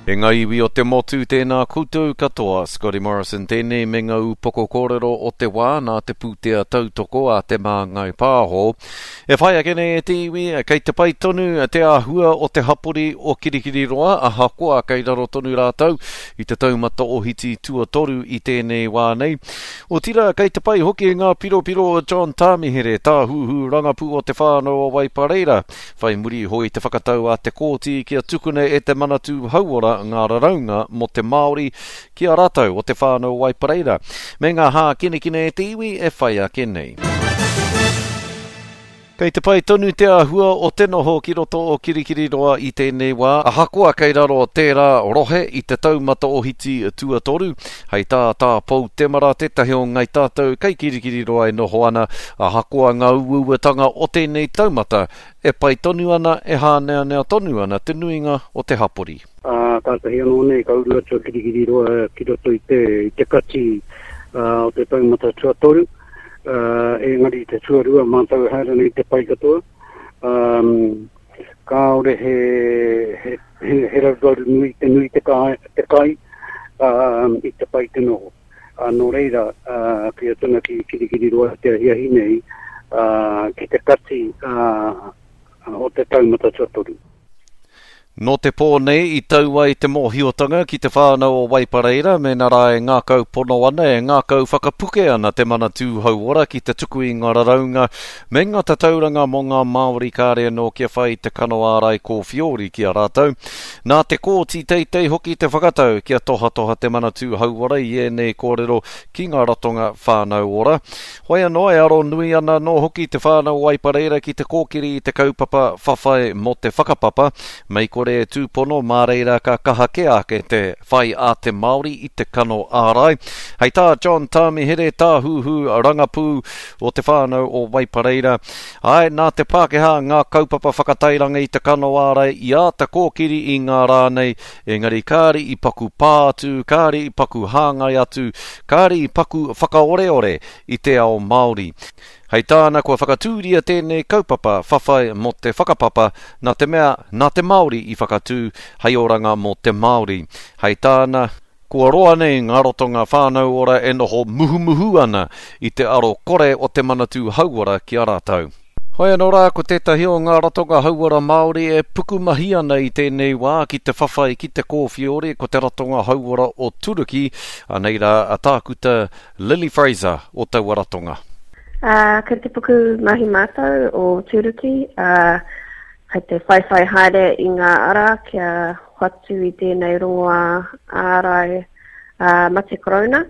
E ngā iwi o te motu, tēnā koutou katoa. Scotty Morrison tēnei me ngā upoko kōrero o te wā nā te pūtea tautoko a Te Māngai Pāho. E whai ake nei e te iwi, kei te pai tonu te āhua o te hapori o Kirikiriroa, ahakoa kei raro tonu rātou i te taumata ohiti tuatoru i tēnei wā nei. Otirā, kei te pai hoki ngā piropiro o John Tāmihere, tāhuhu rangapū o Te Whānau o Waipareira, Whai muri iho i te whakatau a te Kōti kia tukuna e te Manatū Hauora ngā raraunga mō te Māori ki a rātou o Te Whānau o Waipareira, me ngā hākinakina e te iwi e whai ake nei. Kei te pai tonu te āhua o te noho ki roto o Kirikiriroa i tēnei wā, ahakoa kei raro tērā rohe i te taumata ohiti tuatoru. Hei tā Tā Pou Temara, tētahi o Ngai Tātou kei Kirikiriroa e noho ana, ahakoa ngā uauatanga o tēnei taumata, e pai tonu ana, e hāneanea tonu ana te nuinga o te hapori. Ā, kātahi anō nei ka uru atu a Kirikiriroa ki roto i te, i te kati o te taumata tuatoru, ā, engari i te tuarua mātou e haere ana i te pai katoa. Ā, kāore he, he, he, he raruraru nui, te nui te kai, te kai ā, i te pai te noho. Ā, nō reira, ā, kei atu ana ki Kirikiriroa i te ahiahi nei, ā, ki te kati, ā, o te taumata tuatoru. Nō te pō nei i tau ai te mōhiotanga ki te whānau o Waipareira mēnā rā e ngākau pono ana, e ngākau whakapuke ana te Manatū Hauora ki te tuku i ngā raraunga me ngā tatauranga mō ngā Māori kāre anō kia whai te kano ārai kōwhiori ki a rātou. Nā te Kōti Teitei hoki te whakatau kia tohatoha te Manatū Hauora i ēnei kōrero ki ngā ratonga whānau ora. Hoi anō, e aro nui ana anō hoki te whānau o Waipareira ki te kōkiri i te kaupapa whawhai mō te whakapapa, mei kore e tūpono, mā reira ka kaha kē ake te whai a te Māori i te kano ārai. Hei tā John Tāmihere, tāhuhu rangapū o te whānau o Waipareira, āe, nā te Pākehā ngā kaupapa whakatairanga i te kano ārai i āta kōkiri i ngā rā nei, engari kāre i paku pā atu, kāre i paku hāngai atu, kāre i paku whakaoreore i te ao Māori. Hei tāna kua whakatūria tēnei kaupapa whawhai mō te whakapapa nā te mea nā te Māori i whakatū hei oranga mō te Māori. Hei tāna, kua roa nei ngā ratonga whānau ora e noho muhumuhu ana i te aro kore o te Manatū Hauora ki a rātou. Hoi anō rā, ko tētahi o ngā ratonga hauora Māori e pukumahi ana i tēnei wā ki te whawhai ki te kōwhiori, ko te ratonga hauora o Turuki, anei rā a Tākuta Lily Fraser o taua ratonga. Ā, kei te pukumahi mātou o Turuki, ā, kei te whaiwhai haere i ngā ara kia hoatu i tēnei rongoā ārai mate korona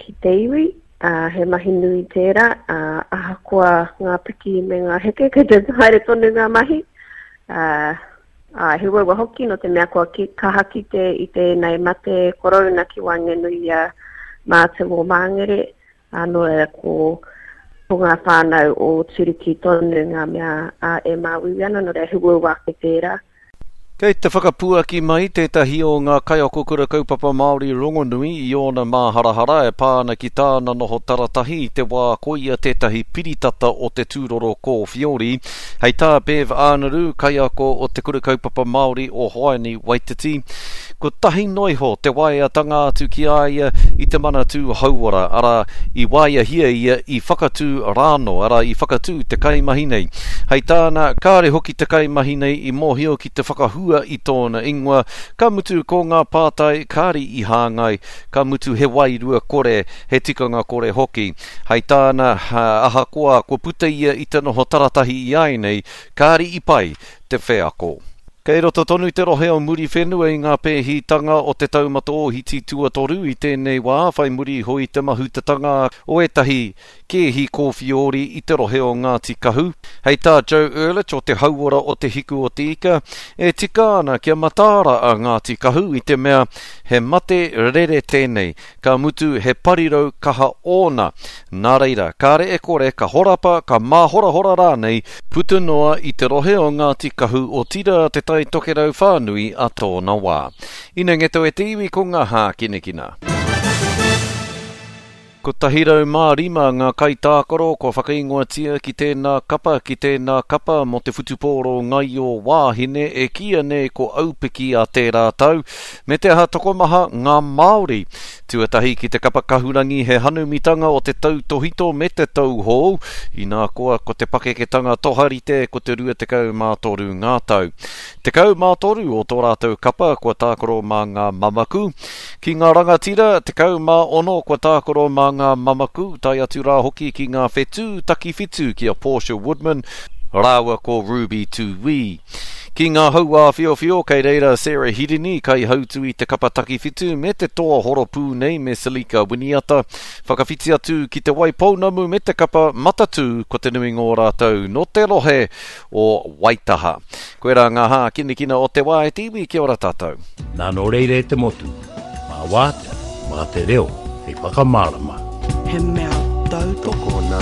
ki te iwi. Ā, he mahi nui tērā, ā, ahakoa ngā piki me ngā heke, kei te haere tonu ngā mahi. Ā, ā, he uaua hoki nō te mea kua ki, kaha kite i tēnei mate korouna ki waenganui i a mātou o Māngere, ā, nō reira ko, ko ngā whānau o Turuki tonu ngā mea, ā, e māuiui ana, nō reira he uaua ake tērā. Kei te whakapuaki mai tētahi o ngā kaiako kura kaupapa Māori rongonui i ōna māharahara e pā ana ki tāna noho taratahi i te wā ko ia tētahi piritata o te tūroro kōwhiori. Hei tā Bev Ānaru, kaiako o Te Kura Kaupapa Māori o Hoani Waititi, kotahi noa iho te waeatanga atu ki a ia i te Manatū Hauora, arā, i waeahia ia i Whakatū rānō, arā, i Whakatū te kaimahi nei. Hei tāna, kāre hoki te kaimahi nei i mōhio ki te whakahua i tōna ingoa, ka mutu ko ngā pātai kāre i hāngai, ka mutu he wairua kore, he tikanga kore hoki. Hei tāna, ahakoa kua puta ia i te noho taratahi i āianei, kāre i pai te wheako. Kei roto tonu te rohe o Muriwhenua i ngā pēhitanga o te taumata ōhiti tuatoru i tēnei wā, whai muri iho i te mahutatanga o ētahi kēhi kōwhiori i te rohe o Ngāti Kahu. Hei tā Joe Urlich o te Hauora o Te Hiku o Te Ika, e tika ana kia mataara a Ngāti Kahu i te mea he mate rere tēnei, ka mutu he parirau kaha ōna. Nā reira, kāre e kore ka horapa, ka māhorahora rānei, puta noa i te rohe o Ngāti Kahu otirā Te Tai Tokerau whānui a tōna wā. Ina ngeto e te iwi ko ngā hākinakina. 105 ngā kaitākaro kua whakaingoatia ki tēnā kapa, ki tēnā kapa mō te whutupōro ngaio wāhine e kīia nei ko Aupiki a tērā tau, me te aha tokomaha ngā Māori. Tuatahi ki te kapa kahurangi he hanumitanga o te tautōhito me te tauhou, inā koa ko te pakeketanga toharite ko te 23 ngā tau. 13 o tō rātou kapa kua tākaro mā ngā mamaku. Ki ngā rangatira, 16 kua tākaro mā ngā mamaku, tae atu rā hoki ki ngā whetū takiwhitu ki a Portia Woodman rāua ko Ruby Tūī. Ki ngā hauāwhiowhio kei reira Sarah Hirini, kaihautu i te kapa takiwhitu me te toa horopū nei me Selica Winiata. Whakawhiti atu ki Te Waipounamu me te kapa Matatū ko te nuinga o rātou nō te rohe o Waitaha. Koirā ngā hākinakina o te wā e te iwi, kia ora tātou. Nā nō reira e te motu, mā wātea, mā te reo hei whakamārama. He mea tautoko. Tokona.